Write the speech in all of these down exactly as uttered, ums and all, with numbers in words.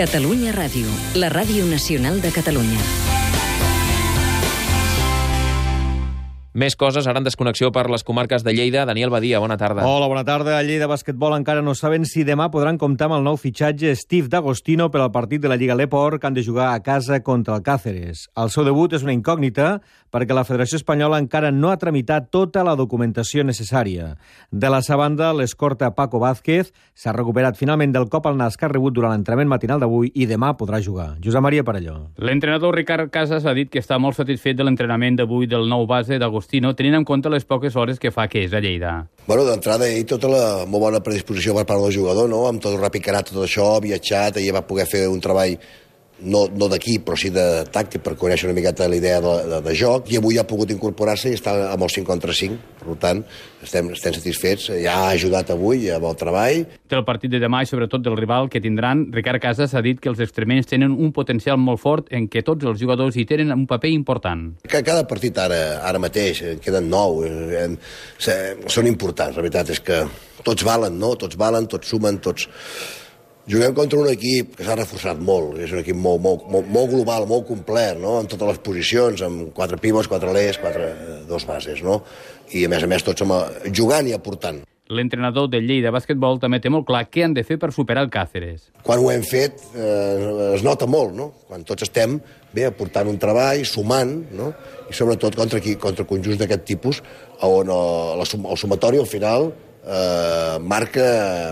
Catalunya Ràdio, la ràdio nacional de Catalunya. Més coses, ara en desconnexió per les comarques de Lleida. Daniel Badia, bona tarda. Hola, bona tarda. A Lleida Basquetbol encara no saben si demà podran comptar amb el nou fitxatge Steve D'Agostino per al partit de la Lliga Leport, que han de jugar a casa contra el Cáceres. El seu debut és una incògnita perquè la Federació Espanyola encara no ha tramitat tota la documentació necessària. De la seva banda, l'escorta Paco Vázquez s'ha recuperat finalment del cop al nas que ha rebut durant l'entrenament matinal d'avui i demà podrà jugar. Josep Maria Parelló. L'entrenador Ricard Casas ha dit que està molt satisfet de l'entrenament d'avui del nou base d'Agostino, tenint en compte les poques hores que fa que és a Lleida. Bueno, d'entrada, ell tota la molt bona predisposició per part del jugador, no? Amb tot el repicarat, tot això, viatjat, ell va poder fer un treball no, no d'aquí, però sí de tàctic, per conèixer una miqueta la idea de, de, de joc, i avui ha pogut incorporar-se i està amb el cinc contra cinc, per tant, estem, estem satisfets, ja ha ajudat avui amb el treball. Del partit de demà i sobretot del rival que tindran, Ricard Casas ha dit que els extremenys tenen un potencial molt fort en què tots els jugadors hi tenen un paper important. Cada partit ara, ara mateix, en queden nou, eh, eh, són importants, la veritat és que tots valen, no? Tots valen, tots sumen, tots... Juguem contra un equip que s'ha reforçat molt, és un equip molt, molt, molt, molt global, molt complet, no? En totes les posicions, amb quatre pivots, quatre lers, quatre, dos bases, no? I a més a més tots som jugant i aportant. L'entrenador del Lleida Basquetbol també té molt clar què han de fer per superar el Cáceres. Quan ho hem fet eh, es nota molt, no? Quan tots estem bé aportant un treball, sumant, no? I sobretot contra, aquí, contra conjunts d'aquest tipus, on el, el sumatori al final eh, marca,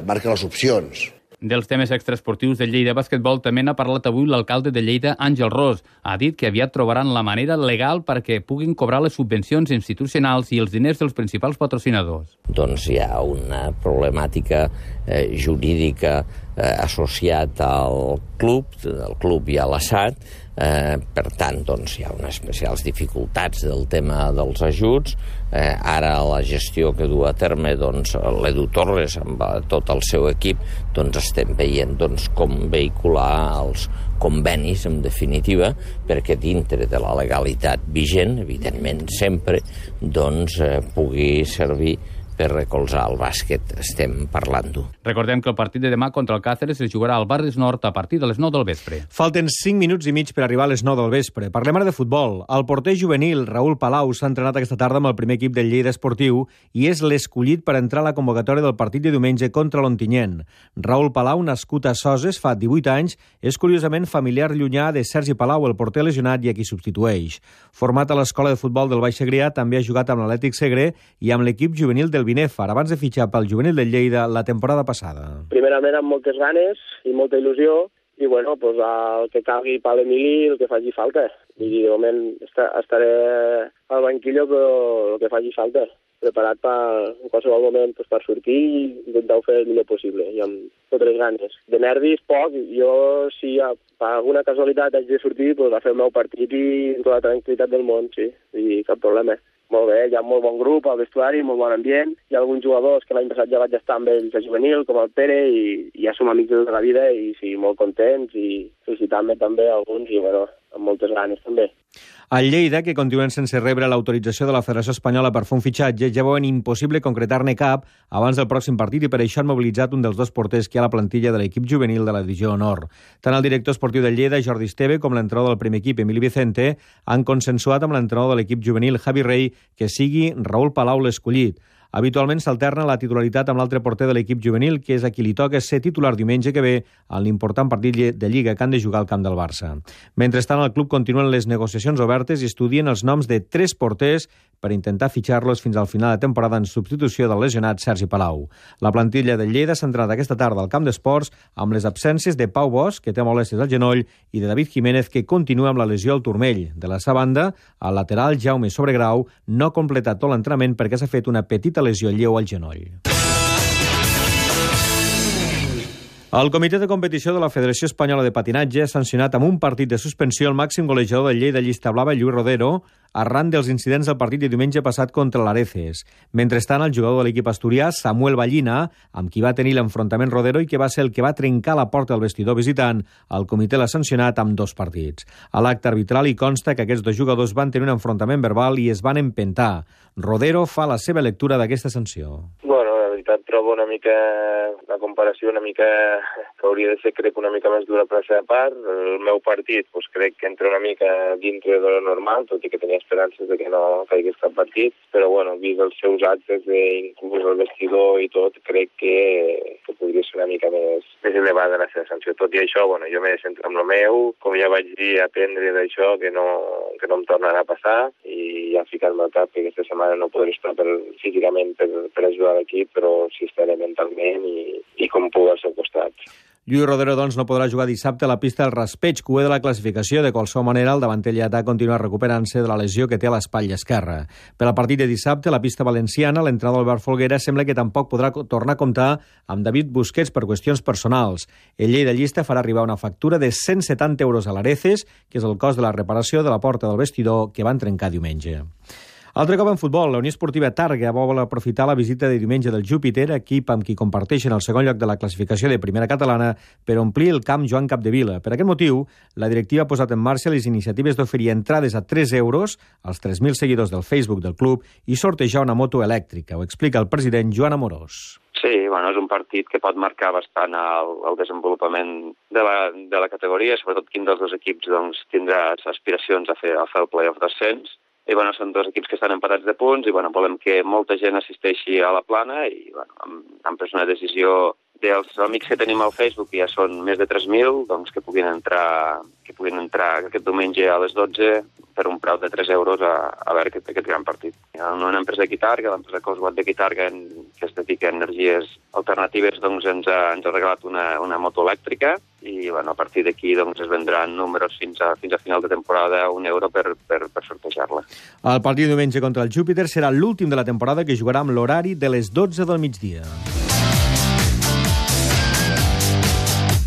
marca les opcions. Dels temes extraesportius del Lleida Basquetbol també n'ha parlat avui l'alcalde de Lleida, Àngel Ros. Ha dit que aviat trobaran la manera legal perquè puguin cobrar les subvencions institucionals i els diners dels principals patrocinadors. Doncs hi ha una problemàtica eh, jurídica eh, associat al club, al club i a l'A S A T. Eh, per tant, doncs, hi ha unes especials dificultats del tema dels ajuts. Eh, ara la gestió que du a terme doncs, l'Edu Torres amb tot el seu equip, doncs estem veient doncs, com vehicular els convenis, en definitiva, perquè dintre de la legalitat vigent, evidentment sempre, doncs, eh, pugui servir per recolzar el bàsquet, estem parlant-ho. Recordem que el partit de demà contra el Cáceres es jugarà al Barris Nord a partir de les nou del vespre. Falten cinc minuts i mig per arribar a les nou del vespre. Parlem ara de futbol. El porter juvenil Raül Palau s'ha entrenat aquesta tarda amb el primer equip del Lleida Esportiu i és l'escollit per entrar a la convocatòria del partit de diumenge contra l'Ontinyent. Raül Palau, nascut a Soses fa divuit anys, és curiosament familiar llunyà de Sergi Palau, el porter lesionat i a qui substitueix. Format a l'escola de futbol del Baix Segrià, també ha jugat amb l'Atlètic Segre i amb l'equip juvenil del Binèfar, abans de fitxar pel juvenil del Lleida la temporada passada. Primerament amb moltes ganes i molta il·lusió i bueno, pues, el que calgui per l'Emili, el que faci falta. I de moment estaré al banquillo però el que faci falta. Preparat per, en qualsevol moment pues, per sortir i intentar fer el millor possible i amb totes les ganes. De nervis, poc. Jo, si per alguna casualitat haig de sortir, pues, a fer el meu partit i amb tota la tranquil·litat del món, sí, i cap problema. Molt bé, hi ha molt bon grup al vestuari, molt bon ambient. Hi ha alguns jugadors que l'any passat ja vaig estar amb ells a juvenil, com el Pere, i, i ja som amics de tota la vida i sí, molt contents i felicitant-me també a alguns i bueno, amb moltes ganes també. Al Lleida, que continuen sense rebre l'autorització de la Federació Espanyola per fer un fitxatge, ja veuen impossible concretar-ne cap abans del pròxim partit i per això han mobilitzat un dels dos porters que hi ha a la plantilla de l'equip juvenil de la Divisió Honor. Tant el director esportiu del Lleida, Jordi Esteve, com l'entrenador del primer equip, Emili Vicente, han consensuat amb l'entrenador de l'equip juvenil, Javi Rey, que sigui Raül Palau l'escollit. Habitualment s'alterna la titularitat amb l'altre porter de l'equip juvenil, que és a qui li toca ser titular diumenge que ve en l'important partit de Lliga que han de jugar al camp del Barça. Mentrestant, al club continuen les negociacions obertes i estudien els noms de tres porters per intentar fitxar-los fins al final de temporada en substitució del lesionat Sergi Palau. La plantilla del Lleida s'ha entrenat aquesta tarda al camp d'esports amb les absències de Pau Bosch, que té molèsties al genoll, i de David Jiménez, que continua amb la lesió al turmell. De la seva banda, el lateral Jaume Sobregrau no ha completat tot l'entrenament perquè s'ha fet una petita lesió lleu al genoll. El Comitè de Competició de la Federació Espanyola de Patinatge ha sancionat amb un partit de suspensió el màxim golejador del Lleida Llista Blava, Lluís Rodero, arran dels incidents del partit de diumenge passat contra l'Areces. Mentrestant, el jugador de l'equip asturià, Samuel Ballina, amb qui va tenir l'enfrontament Rodero i que va ser el que va trencar la porta del vestidor visitant, el comitè l'ha sancionat amb dos partits. A l'acte arbitral hi consta que aquests dos jugadors van tenir un enfrontament verbal i es van empentar. Rodero fa la seva lectura d'aquesta sanció. Bueno, la veritat, trobo una mica, la comparació una mica, que hauria de ser, crec, una mica més dura per la seva part. El meu partit, doncs, crec que entra una mica dintre de lo normal, tot i que tenia esperances de que no caigués cap partit, però, bueno, vist els seus actes, inclús el vestidor i tot, crec que, que podria ser una mica més, més elevada la seva sanció. Tot i això, bueno, jo m'he de centrar en el meu, com ja vaig dir, aprendre d'això, que no, que no em tornarà a passar, i ja ficar-me al cap que aquesta setmana no podré estar per, físicament per, per ajudar l'equip, però sí estaré mentalment i, i com puc al seu costat. Lluís Rodero, doncs, no podrà jugar dissabte a la pista del Raspeig, cué de la classificació. De qualsevol manera, el davanter lletà continua recuperant-se de la lesió que té a l'espatlla esquerra. Per al partit de dissabte, a la pista valenciana, l'entrenador Albert Folguera sembla que tampoc podrà tornar a comptar amb David Busquets per qüestions personals. El Lleida Llista farà arribar una factura de cent setanta euros a l'Areces, que és el cost de la reparació de la porta del vestidor que van trencar diumenge. Altre cop en futbol, la Unió Esportiva Tàrrega vol aprofitar la visita de diumenge del Júpiter, equip amb qui comparteixen el segon lloc de la classificació de primera catalana, per omplir el camp Joan Capdevila. Per aquest motiu, la directiva ha posat en marxa les iniciatives d'oferir entrades a tres euros als tres mil seguidors del Facebook del club i sortejar una moto elèctrica. Ho explica el president Joan Amorós. Sí, bueno, és un partit que pot marcar bastant el, el desenvolupament de la, de la categoria, sobretot quin dels dos equips doncs, tindrà aspiracions a fer, a fer el play-off d'ascens. I bueno, són dos equips que estan empatats de punts i bueno, volem que molta gent assisteixi a la plana i bueno, hem, hem pres una decisió dels amics que tenim al Facebook, que ja són més de tres mil, doncs que puguin entrar que puguin entrar aquest diumenge a les dotze per un preu de tres euros a, a veure aquest, aquest gran partit. Hi ha una empresa de Quitarga, l'empresa Coswatt de Quitarga, que es dedica a energies alternatives, doncs ens ha, ens ha regalat una, una moto elèctrica i bueno, a partir d'aquí doncs, es vendran números fins a, fins a final de temporada a un euro per, per, per sortejar-la. El partit diumenge contra el Júpiter serà l'últim de la temporada, que jugarà amb l'horari de les dotze del migdia.